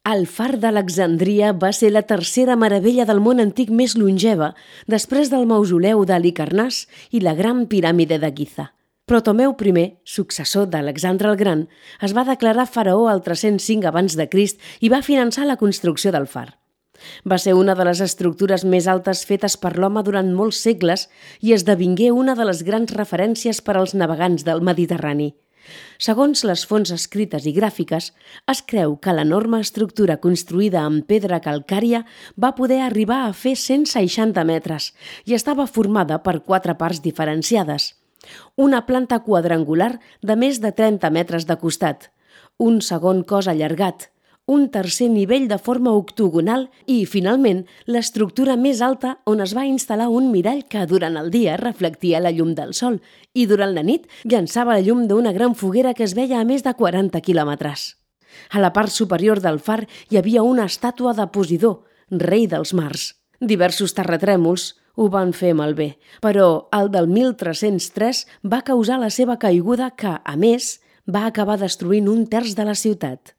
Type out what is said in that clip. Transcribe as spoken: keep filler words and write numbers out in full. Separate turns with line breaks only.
El far d'Alexandria va ser la tercera meravella del món antic més longeva, després del mausoleu d'Halicarnàs i la gran piràmide de Giza. Ptolemeu I, successor d'Alexandre el Gran, es va declarar faraó al tres-cents cinc abans de Crist i va finançar la construcció del far. Va ser una de les estructures més altes fetes per l'home durant molts segles i esdevingué una de les grans referències per als navegants del Mediterrani. Segons les fonts escrites i gràfiques, es creu que l'enorme estructura construïda amb pedra calcària va poder arribar a fer cent seixanta metres i estava formada per quatre parts diferenciades. Una planta quadrangular de més de trenta metres de costat, un segon cos allargat, un tercer nivell de forma octogonal i, finalment, l'estructura més alta on es va instal·lar un mirall que durant el dia reflectia la llum del sol i durant la nit llançava la llum d'una gran foguera que es veia a més de quaranta quilòmetres. A la part superior del far hi havia una estàtua de Posidó, rei dels mars. Diversos terratrèmols ho van fer malbé, però el del mil tres-cents tres va causar la seva caiguda que, a més, va acabar destruint un terç de la ciutat.